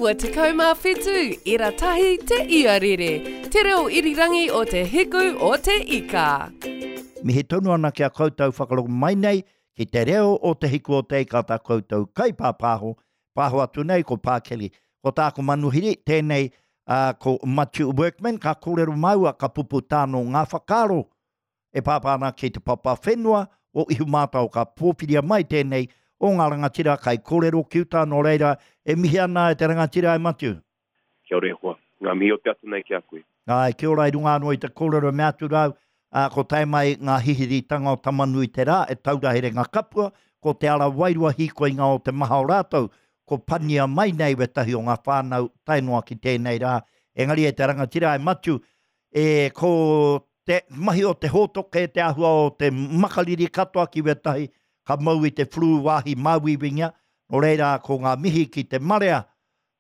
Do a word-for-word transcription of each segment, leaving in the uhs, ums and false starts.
Iwa tekau mā whitu, ira tahi te iarere, te reo irirangi o te hiku o te ika. Mihi tonu ana ki a koutou whakarongo mai nei ki te reo o te hiku o te ika tā koutou kaipāpāho, pāho atu nei ko Pākeli. Ko tāku manuhiri, tēnei uh, ko Matiu Workman, ka kōrero māua, ka pupu tāno ngā whakaaro e pāpā ana ki te papa whenua o Ihumātao, ka pōwhiria mai tēnei o ngā rangatira kai kōrero ki uta, nō reira e mihi ana e te rangatira e Matiu. Kia ora e hoa, ngā mihi o te ata nei ki a koe. Ai, kia ora i runga anō i te kōrero me atu rau, ā, ko tae mai ngā hihiritanga o Tamanui te rā e taura here ngā kapua, ko te ara wairua hīkoinga o te maha o rātou, ko pania mai nei wetahi o ngā whānau tae noa ki tēnei rā. Engari e te rangatira e Matiu, e ko te mahi o te hōtoke, te āhua o te makariri katoa ki wetahi, ka mau i te flu wāhi māuiuingia, nō reira ko ngā mihi ki te marea,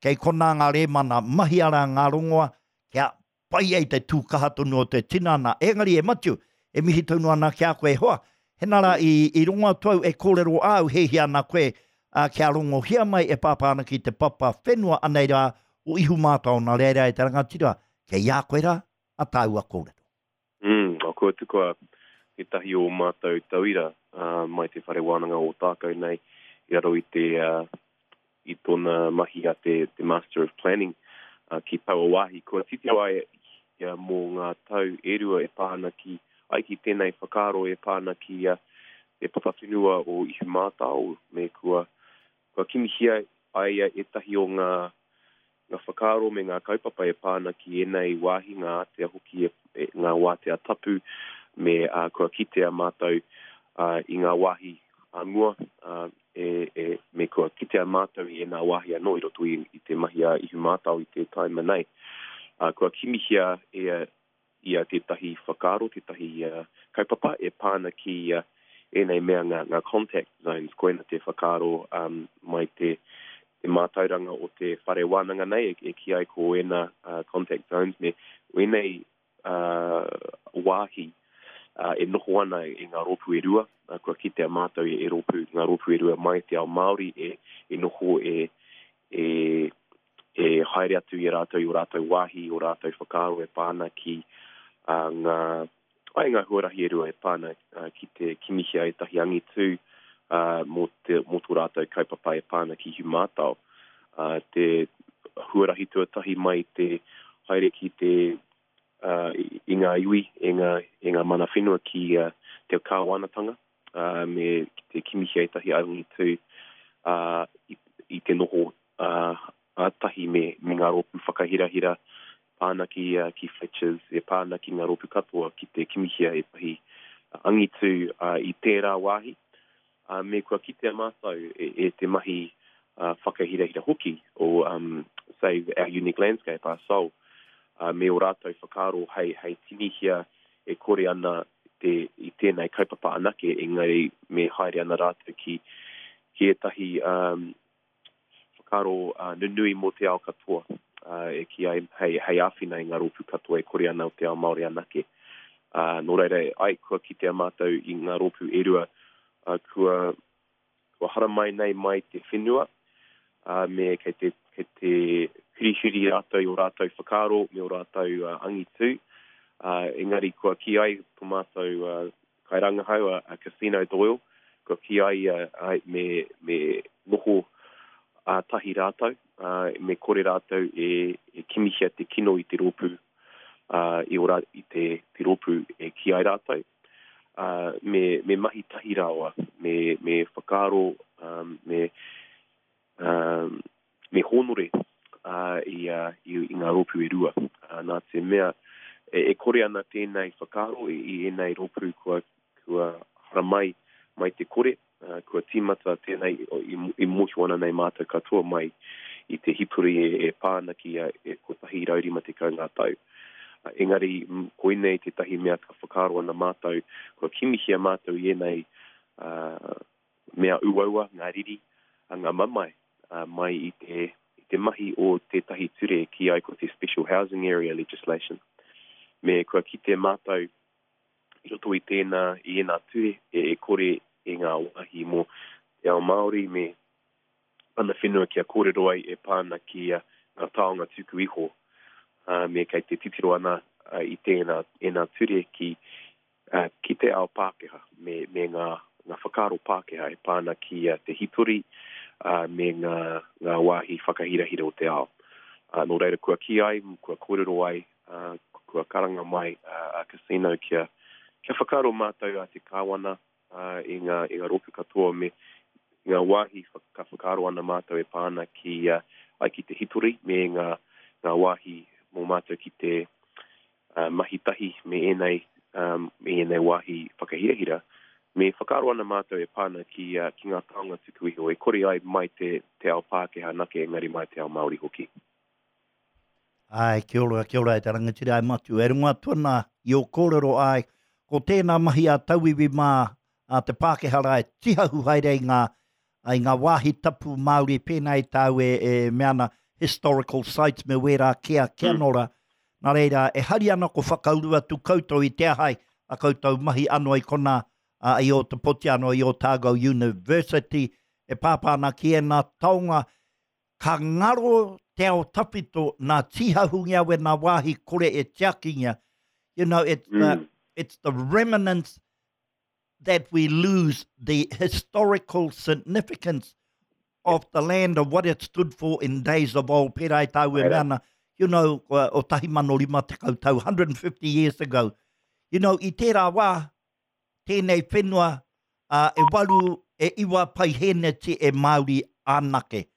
kei konā ngā rēmana mahi ara ngā rongoa, kia pai ai te tūkaha tonu o te tinana. Engari e Matiu, e mihi tonu ana ki a koe e hoa, hena rā i, i rongo atu au e kōrero āu hēhia ana koe, ā, kia rongohia mai e pāpā ana ki te papa whenua anei rā o Ihumātao, nā reira e te rangatira, kei a koe rā a tāua kōrero. Mm, kua tukua tētahi o mātou tauira uh, mai te whare wānanga o Ōtākou nei i raro i te uh, i tōna mahi a te, te Master of Planning uh, ki taua wāhi. Kua titiro ai ia mō ngā tau e rua e pā ana ki, ai ki tēnei whakaaro e pā ana ki uh, te papa whenua o Ihumātao me kua, kua kimihia ai ia ētahi o ngā ngā whakaaro me ngā kaupapa e pā ana ki ēnei wāhi, ngā ātea hoki e, e, ngā wātea tapu, me uh, kua kitea mātou uh, i ngā wāhi a mua, uh, e, e, me kua kitea mātou i ēnā wāhi anō i roto i, i te mahi a Ihumātao i te taima nei. Uh, kua kimihia e ia tētahi whakaaro, tētahi uh, kaupapa e pā ana ki uh, ēnei mea ngā, ngā contact zones, koina te whakaaro um, mai te, te mātauranga o te whare wānanga nei, e, e ki ai ko ēnā uh, contact zones, me ēnei uh, wāhi uh, e noho ana e ngā rōpū e rua, uh, kua kitea mātou e, e rōpū, ngā rōpū e rua mai te ao Māori e, e noho e, e, e haere atu i a rātou i o rātou wāhi, o rātou whakaaro e pā ana ki uh, ngā, ai ngā huarahi e rua e pā ana uh, ki te kimihia ētahi angitū uh, mō, te, mō tō rātou kaupapa e pā ana ki Ihumātao. Uh, te huarahi tuatahi mai te haere ki te uh, i ngā iwi, e ngā, e ngā mana whenua ki uh, te kāwanatanga, uh, me te kimihia ētahi angitū uh, i, i te noho uh, ātahi me, me ngā rōpū whakahirahira pā ana ki, uh, ki Fletchers, e pā ana ki ngā rōpū katoa ki te kimihia ētahi angitū uh, i tērā wāhi. Uh, me kua kitea mātou e, e te mahi uh, whakahirahira hoki o um, Save Our Unique Landscape, our Soul, uh, me o rātou whakaaro hei, hei tinihia e kore ana te, i tēnei kaupapa anake, engari me haere ana rātou ki, ki ētahi um, whakaaro uh, nunui mō te ao katoa, uh, e ki ai, hei, hei āwhina i ngā rōpū katoa e kore ana o te ao Māori anake. Uh, nō reira, ai, kua kitea mātou i ngā rōpū e rua, uh, kua, kua haramai nei mai te whenua, uh, me kei te, kei te hurihuri rātou i o rātou whakaaro me o rātou uh, angitū. Uh, engari kua ki ai tō mātou uh, kairangahau a, a Casino Doyle, kua ki ai uh, ai me, me noho uh, tahi rātou, uh, me kore rātou e, e kimihia te kino i te rōpū, uh, i, ora, i te, te rōpū e ki ai rātou. Uh, me, me mahi tahi rāua, me, me whakaaro, um, me, um, me hōnore uh, i, uh, i, i ngā rōpū e rua. Uh, nā te mea, e, e kore ana tēnei whakaaro i, i ēnei rōpū kua, kua haramai mai te kore, uh, kua tīmata tēnei i, i mōhio ana nei mātou katoa mai i te hipuri e, e pā ana ki a, e kotahi rau rima tekau ngā tau. Uh, engari, koinei tētahi mea ka whakaaro ana mātou, kua kimihia mātou i ēnei uh, mea uaua, ngā riri, uh, ngā mamae, uh, mai i te, i te mahi o tētahi ture ki ai ko te Special Housing Area Legislation. Me kua kite mātou i roto i tēnā, i ēnā ture, e, e kore e ngā wāhi mō te ao Māori me, mana whenua kia kōrero ai e pā ana ki uh, ngā taonga tuku iho. Uh, me kei te titiro ana uh, i tēnā, ēnā ture ki, uh, ki te ao Pākehā me, me ngā, ngā whakaaro Pākehā e pā ana ki uh, te hitori uh, me ngā, ngā wāhi whakahirahira o te ao. Uh, nō reira kua kī ai, kua kōrero ai, uh, kua karanga mai uh, a Cassino kia, kia whakaaro mātou a te kāwana uh, i ngā, i ngā rōpū katoa me ngā wāhi ka whakaaro ana mātou e pā ana ki, uh, ai ki te hitori me ngā, ngā wāhi mō mātou ki te uh, mahi tahi me ēnei, um, me ēnei wāhi whakahirahira. Me whakaaro ana mātou e pā ana ki, uh, ki ngā taonga tuku iho, e kore ai mai te, te ao Pākehā nake, engari mai te ao Māori hoki. Ai, kia ora, kia ora e te rangatira ai Matiu. E rongo atu ana i o kōrero ai, ko tēnā mahi a tauiwi mā a te Pākehā rā e tihahu haere i ngā, i ngā wāhi tapu Māori pēnā i tāu e, e mea ana historical sites me wērā kia, kia mm. nora. Nā reira, e hari ana ko whakauru atu koutou i te ahai a koutou mahi ano i kona a, i Ōtepoti ano i Otago University e pāpā ana ki ēnā taonga ka ngaro te ao tawhito nā tīhahungia we nā wāhi kore e tiakingia. You know, it's, mm. the, it's the remnants that we lose the historical significance of the land of what it stood for in days of old. Pērā i tāu e mea ana, you know, o tahi mano rima tekau tau, one hundred fifty years ago. You know, i tērā wā, tēnei whenua, uh, e waru, e iwa paiheneti e Māori anake.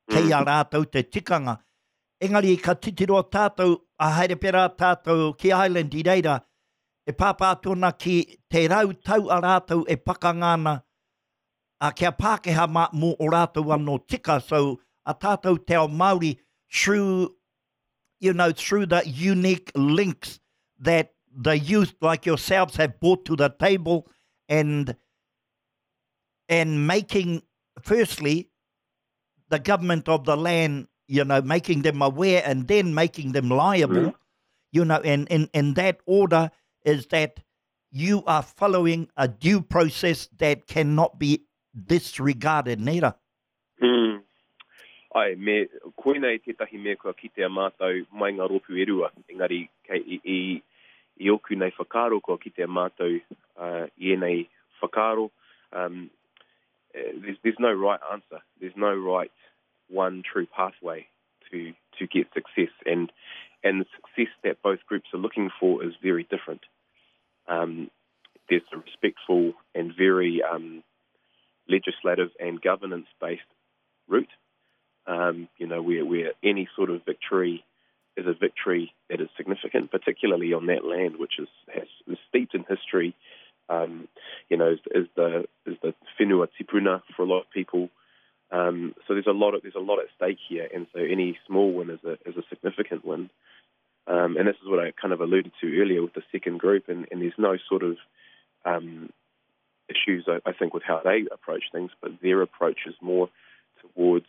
Kei a rātou te tikanga. Engari ka titiro tātou, a haere pērā tātou ki Ireland i reira, e pāpā atu ana ki te rau tau a rātou e pakanga ana, a kia Pākehā mā mō o rātou anō tika. So, a tātou te ao Māori, through, you know, through the unique links that the youth like yourselves have brought to the table and, and making, firstly, the government of the land, you know, making them aware and then making them liable, mm-hmm. you know, and in, in that order is that you are following a due process that cannot be disregarded, nera. Mm. Ai, me, koinei tētahi mea kua kitea mātou mai ngā rōpū e rua, engari kei, i, i, i oku nei whakaaro kua kitea mātou uh, i ēnei whakaaro. Um, there's, there's no right answer. There's no right one true pathway to, to get success. And, and the success that both groups are looking for is very different. Um, there's a respectful and very um, legislative and governance-based route, um, you know, where, where any sort of victory is a victory that is significant, particularly on that land, which is, has, is steeped in history, um, you know, is, is the is the whenua tipuna for a lot of people. Um, so there's a lot of, there's a lot at stake here, and so any small win is a is a significant win. Um, and this is what I kind of alluded to earlier with the second group, and, and there's no sort of um, issues, I, I think, with how they approach things, but their approach is more towards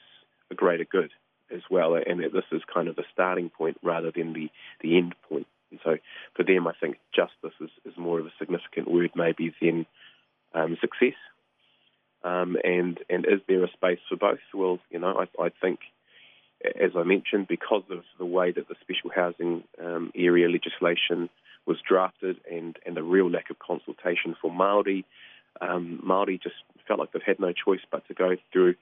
a greater good as well, and that this is kind of a starting point rather than the, the end point. And so for them, I think justice is, is more of a significant word maybe than um, success. Um, and, and is there a space for both? Well, you know, I, I think, as I mentioned, because of the way that the special housing um, area legislation was drafted and, and the real lack of consultation for Māori, um, Māori just felt like they've had no choice but to go through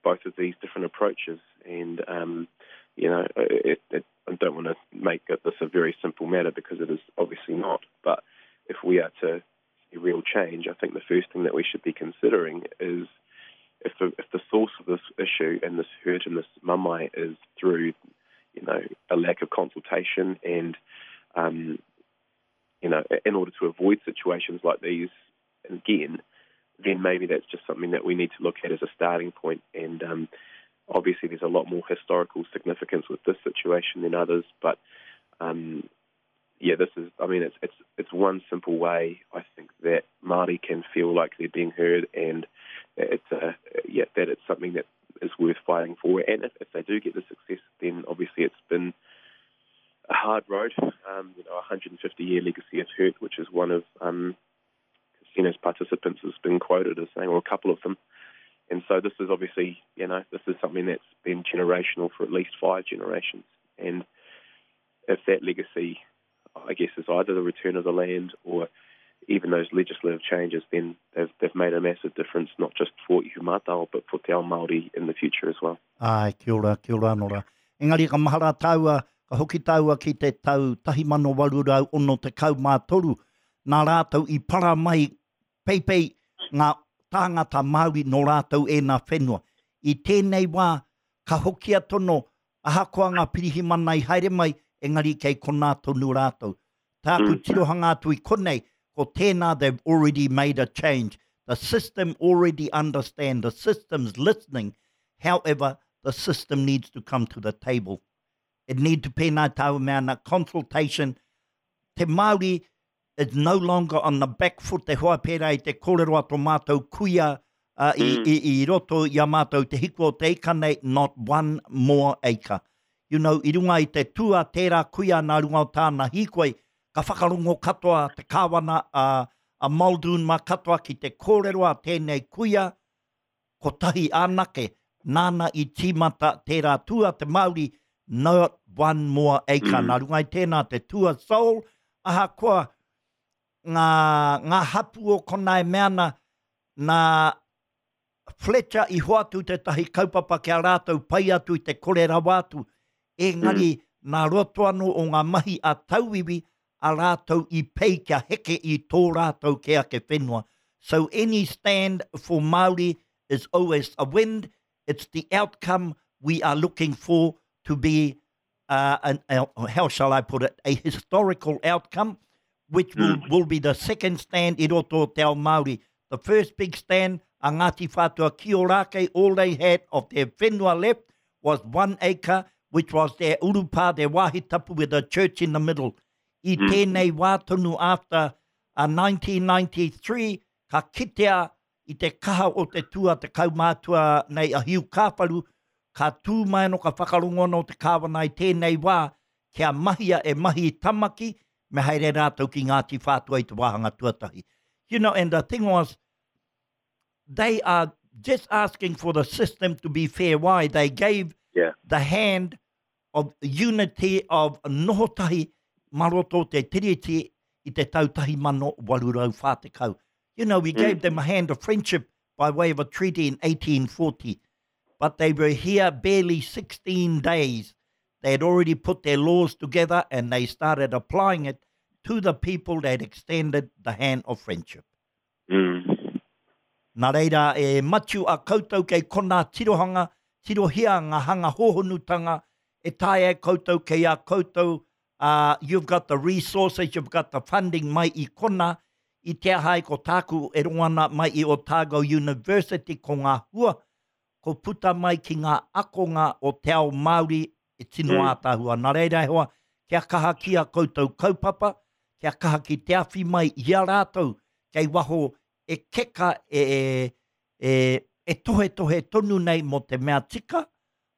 both of these different approaches. And, um, you know, it, it, I don't want to make this a very simple matter because it is obviously not. But if we are to see real change, I think the first thing that we should be considering is if the, if the source of this issue and this hurt and this mamae is through, you know, a lack of consultation and, um, you know, in order to avoid situations like these again, then maybe that's just something that we need to look at as a starting point. And um, obviously there's a lot more historical significance with this situation than others, but um, yeah, this is, I mean, it's, it's, it's one simple way, I think, that Māori can feel like they're being heard and it's a, yeah, that it's something that is worth fighting for. And if, if they do get the success, then obviously it's been a hard road, um, you know, a hundred fifty-year legacy of hurt, which is one of um, Cassino's participants has been quoted as saying, or a couple of them. And so this is obviously, you know, this is something that's been generational for at least five generations. And if that legacy, I guess, is either the return of the land or even those legislative changes, then they've, they've made a massive difference, not just for Ihumātao, but for te ao Māori in the future as well. Ai, kia ora, kia ora anō rā. Engari ka mahara tāua, ka hoki tāua ki te tau tahi mano waru rau ono tekau mā toru, nā rātou i para mai peipei ngā tāngata Māori nō rātou e nā whenua. I tēnei wā, ka hokia tono, ahakoa ngā pirihimana i haere mai, engari kei konā tonu rātou. Tāku Mm. tirohanga atu i konei, ko tēnā they've already made a change. The system already understand, the system's listening. However, the system needs to come to the table. It need to pēnā tāu mea ana consultation. Te Māori is no longer on the back foot. Te hoa pērā i te kōrero a tō mātou kuia uh, i, Mm. i, i roto i a mātou te hiku o te ika nei, not one more acre. You know, i runga i te tua tērā kuia nā runga o tāna hīkoi, ka whakarongo katoa te kāwana a, a Muldoon mā katoa ki te kōrero a tēnei kuia, kotahi anake, nāna i tīmata tērā tua te Māori, not one more acre. Mm. Nā runga i tēnā te tua soul, ahakoa ngā, ngā hapu o kona e mea ana, nā Fletcher i hoatu tētahi kaupapa kia rātou pai atu i te kore rawa atu. Engari, nā roto anō o ngā mahi a tauiwi a rātou i pei kia heke i tō rātou ke ake whenua. So any stand for Māori is always a win. It's the outcome we are looking for to be, uh, an, uh, how shall I put it, a historical outcome, which will, will be the second stand i roto o te ao Māori. The first big stand, a Ngāti Whātua ki Ōrākei, all they had of their whenua left was one acre, which was their urupā, their wāhi tapu with a church in the middle. I Mm. tēnei wā tonu after uh, nineteen ninety-three, ka kitea i te kaha o te tua, te kaumātua nei a Hiu Kāwharu, ka tū mai anō ka whakarongo anō te kāwana i tēnei wā, kia mahia e mahi i tamaki, me haere rātou ki Ngāti Whātua i te wāhanga tuatahi. You know, and the thing was, they are just asking for the system to be fair. Why? They gave Yeah. the hand of unity of nohotahi maroto te tiriti i te tau tahi mano waru rau whātekau. You know, we Mm. gave them a hand of friendship by way of a treaty in eighteen forty. But they were here barely sixteen days. They had already put their laws together and they started applying it to the people that extended the hand of friendship. Mm. Nā reira, e Matiu a koutou kei kona tirohanga, tirohia ngā hanga hohonutanga, e tae e koutou kei a koutou, uh, you've got the resources, you've got the funding mai i kona, i te ahai ko tāku e rongo ana mai i Otago University ko ngā hua, ko puta mai ki ngā akonga o te ao Māori e tino Mm. ātahua. Nā reira e hoa, kia kaha ki a koutou kaupapa, kia kaha ki te awhi mai i a rātou, kei waho e keka e, e, e, e tohe tohe tonu nei mō te mea tika,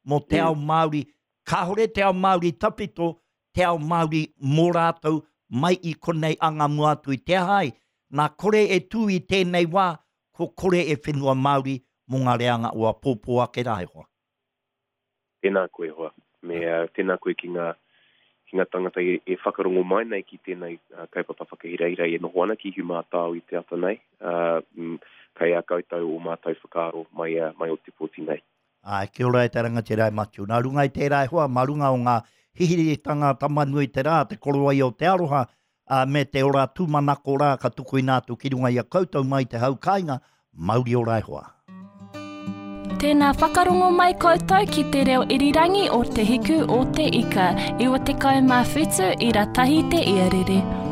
mō te Mm. ao Māori. Kāhore te ao Māori tapito, te ao Māori mō rātou mai i konei anga mua atu i te ahai. Nā kore e tū i tēnei wā, ko kore e whenua Māori mō ngā reanga o a pōpō ake rā e hoa. Tēnā koe hoa. Me, uh, tēnā koe ki ngā, ki ngā tangata e, e whakarongo mai nei ki tēnei uh, kaupapa whakahirahira e noho ana ki Ihumātao i te ata nei. Uh, mm, kei a koutou o mātou whakaaro mai, uh, mai o te pōti nei. Ai, kia ora e te rangatira e Matiu. Nā runga i tērā e hoa, mā runga o ngā hihiritanga tamanui te rā, te korowai o te aroha, uh, me te ora tūmanako rā ka tukuina atu ki runga i a koutou mai te hau kāinga, mauri ora e hoa. Tēnā whakarongo mai koutou ki te reo irirangi o Te Hiku o Te Ika, iwa tekau mā whitu ira tahi te iarere.